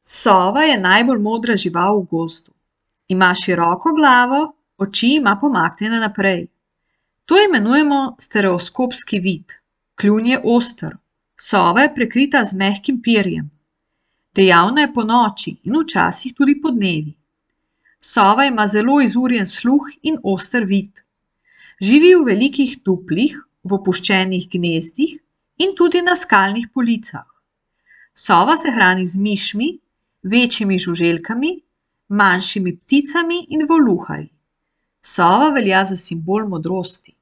Sova je najbolj modra žival v gozdu. Ima široko glavo, oči ima pomaknjene naprej. To imenujemo stereoskopski vid. Kljun je oster. Sova je prekrita z mehkim perjem. Dejavna je ponoči in včasih tudi podnevi. Sova ima zelo izurjen sluh in oster vid. Živi v velikih duplih, v opuščenih gnezdih in tudi na skalnih policah. Sova se hrani z mišmi, večjimi žuželkami, manjšimi pticami in voluharji. Sova velja za simbol modrosti.